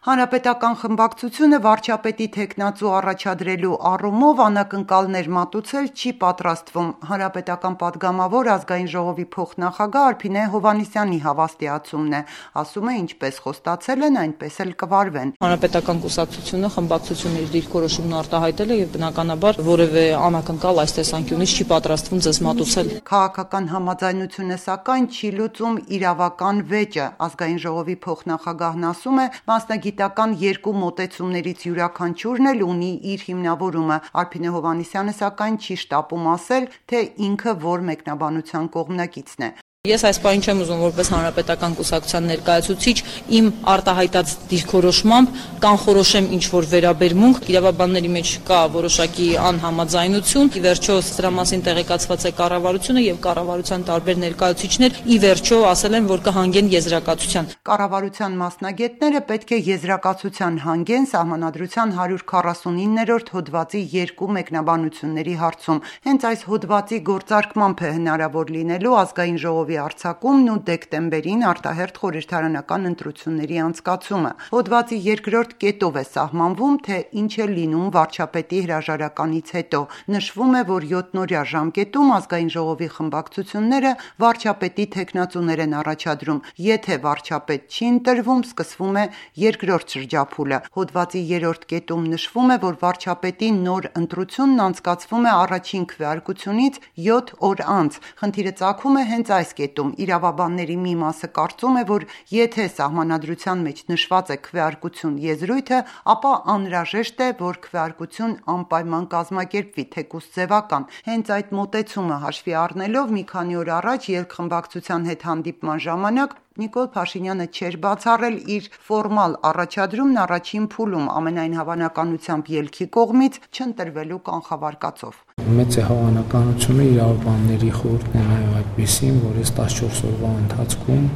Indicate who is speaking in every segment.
Speaker 1: Հանրապետական խմբակցությունը վարչապետի թեկնածու առաջադրելու առումով անակնկալներ մատուցել չի պատրաստվում։ Հանրապետական պատգամավոր ազգային ժողովի փոխնախագահ Արփինե Հովհաննիսյանի հավաստիացումն է, ասում է, ինչպես խոստացել են, այնպես էլ կվարվեն։
Speaker 2: Հանրապետական կուսակցությունը խմբակցությունների դիրքորոշումն արտահայտել է եւ բնականաբար որևէ անակնկալ այս տեսանկյունից չի պատրաստվում ձեզ մատուցել։
Speaker 1: Քաղաքական համաձայնությունը սակայն չի լուծում իրավական վեճը։ Ազգային ժողովի փոխնախագահն ասում է, մասնագիտական երկու մոտեցումներից յուրաքանչյուրն էլ ունի իր հիմնավորումը։ Արփինե Հովհաննիսյանը սակայն չի շտապում ասել, թե ինքը որ մեկնաբանության կողմնակիցն է։
Speaker 2: Ես այս պահին չեմ ուզում որպես հանրապետական կուսակցության ներկայացուցիչ իմ արտահայտած դիրքորոշմամբ կանխորոշեմ ինչ-որ վերաբերմունք, իրավաբանների մեջ կա որոշակի անհամաձայնություն, ի վերջո սրա մասին տեղեկացված է կառավարությունը եւ կառավարության տարբեր ներկայացուցիչներ ի վերջո ասել են, որ կհանգեն եզրակացության։
Speaker 1: Կառավարության մասնագետները պետք է եզրակացության հանգեն Սահմանադրության 149-րդ հոդվածի երկու մեկնաբանությունների հարցում։ Հենց այս հոդվածի գործարկմամբ է հնարավոր լինելու ազգային ժողովի արձակումն ու դեկտեմբերին արտահերթ խորհրդարանական ընտրությունների անցկացումը։ Հոդվածի երկրորդ կետով է սահմանվում, թե ինչ է լինում վարչապետի հրաժարականից հետո։ Նշվում է, որ 7-օրյա ժամկետում ազգային ժողովի խմբակցությունները վարչապետի թեկնածուներ են առաջադրում։ Եթե վարչապետ չի ընտրվում, սկսվում է երկրորդ շրջափուլը։ Հոդվածի 3-րդ կետում նշվում է, որ վարչապետի նոր ընտրությունն անցկացվում է առաջին քվեարկությունից 7 օր անց։ Խնդիրը ծագում է հենց այս կետում։ Իրավաբանների մի մասը կարծում է, որ եթե Սահմանադրության մեջ նշված է քվեարկություն եզրույթը, ապա անհրաժեշտ է, որ քվեարկություն անպայման կազմակերպվի, թեկուզ ձևական։ Հենց այդ մոտեցումը հաշվի առնելով մի քանի օր առաջ երկխմբակցության հետ հանդիպման ժամանակ Նիկոլ Փաշինյանը չէր բացառել իր ֆորմալ առաջադրումն առաջին փուլում, ամենայն հավանականությամբ ելքի կողմից չընտրվելու կանխավարկածով։
Speaker 3: Մեծ է հավանականությունը իրավաբանների խորհուրդն է նաև այդպիսին, որ այս 14 օրվա ընթացքում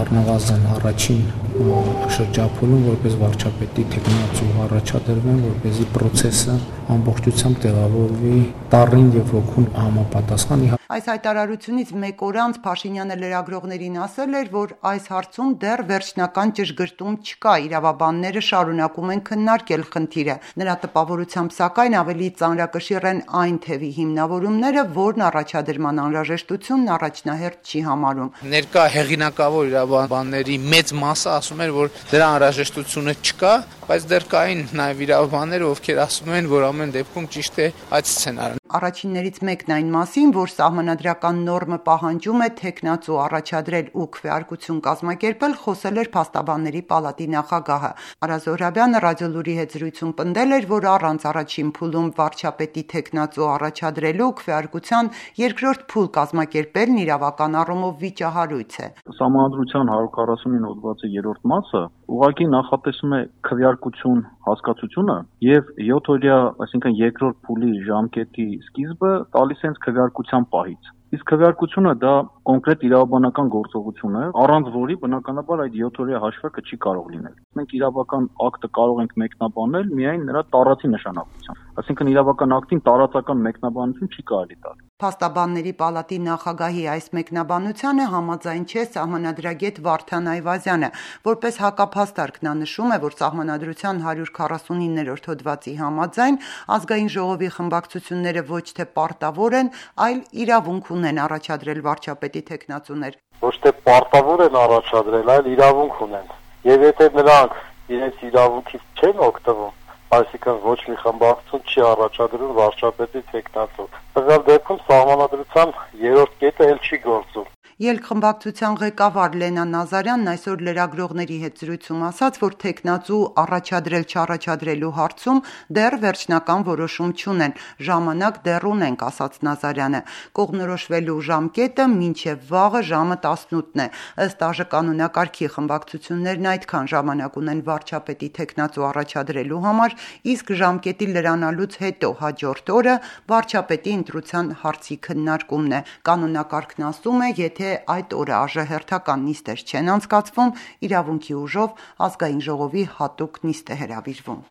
Speaker 3: առնվազն առաջին շրջափուլում որպես վարչապետի թեկնածու առաջադրվեն, որպեսզի process-ը ամբողջությամբ տեղավորվի տառին եւ ոգուն համապատասխան։
Speaker 1: Այս հայտարարությունից մեկ օր անց Փաշինյանը լրագրողներին ասել էր, որ այս հարցում դեռ վերջնական ճշգրտում չկա, իրավաբանները շարունակում են քննարկել խնդիրը։ Նրա տպավորությամբ սակայն ավելի ծանրակշիռ են այն թևի հիմնավորումները, որն առաջադրման անհրաժեշտությունն առաջնահերթ չի համարում։
Speaker 4: Ներկա հեղինակավոր իրավաբանների մեծ մասը ասում էր, որ դրա անհրաժեշտությունը չկա, բայց դեռ կային նաև իրավաբաններ, ովքեր ասում են, որ ամեն դեպքում ճիշտ է այդ սցենարը։
Speaker 1: Առաջիններից մեկն այն մասին, որ սահմանադրական նորմը պահանջում է թեկնածու առաջադրել ու քվեարկություն կազմակերպել, խոսել էր Փաստաբանների պալատի նախագահը։ Արա Զոհրաբյանը Ռադիոլուրի հետ զրույցում պնդել էր, որ առանց առաջին փուլում վարչապետի թեկնածու առաջադրելու քվեարկության երկրորդ փուլ կազմակերպելն իրավական առումով վիճահարույց է։
Speaker 5: Սահմանադրության 149 հոդվածի 3-րդ մասը ուղղակի նախատեսում է քվեարկություն հասկացությունը եւ 7 օրյա, այսինքն երկրորդ փուլի ժամկետի սկիզբը տալիս հենց քվեարկության պահից։ Իսկ քվեարկությունը դա կոնկրետ իրավաբանական գործողություն է, առանց որի բնականաբար այդ 7 օրյա հաշվարկը չի կարող լինել։ Մենք իրավական ակտը կարող ենք մեկնաբանել միայն նրա տարածի նշանակությամբ։ Այսինքն իրավական ակտին տարածական մեկնաբանություն չի կարելի տալ։
Speaker 1: Փաստաբանների պալատի նախագահի այս մեկնաբանությանը համաձայն չէ սահմանադրագետ Վարդան Այվազյանը։ Որպես հակափաստարկ նա նշում է, որ Սահմանադրության 149-րդ հոդվածի համաձայն ազգային ժողովի խմբակցությունները ոչ թե պարտավոր են, այլ իրավունք ունեն առաջադրել վարչապետի թեկնածուներ։
Speaker 6: Ոչ թե պարտավոր են առաջադրել, այլ իրավունք ունեն։ Եվ եթե նրանք իրենց իրավունքից չեն օգտվում, այսինքն ոչ մի խմբակցություն չի առաջադրում վարչապետի թեկնածու։ Տվյալ դեպքում Սահմանադրության 3-րդ կետը էլ չի գործում։
Speaker 1: Ելք-խմբակցության ղեկավար Լենա Նազարյանն այսօր լրագրողների հետ զրույցում ասաց, որ թեկնածու առաջադրել-չառաջադրելու հարցում դեռ վերջնական որոշում չունեն, ժամանակ դեռ ունենք, ասաց Նազարյանը։ Կողմնորոշվելու ժամկետը մինչև վաղը ժամը 18-ն է։ Ըստ ԱԺ կանոնակարգի խմբակցություններն այդքան ժամանակ ունեն վարչապետի թեկնածու առաջադրելու համար, իսկ ժամկետի լրանալուց հետո հաջորդ օրը վարչապետի ընտրության հարցի քննարկումն է։ Կանոնակարգն ասում է, եթե այդ օրը ԱԺ հերթական նիստեր չեն անցկացվում, իրավունքի ուժով ազգային ժողովի հատուկ նիստ է հրավիրվում։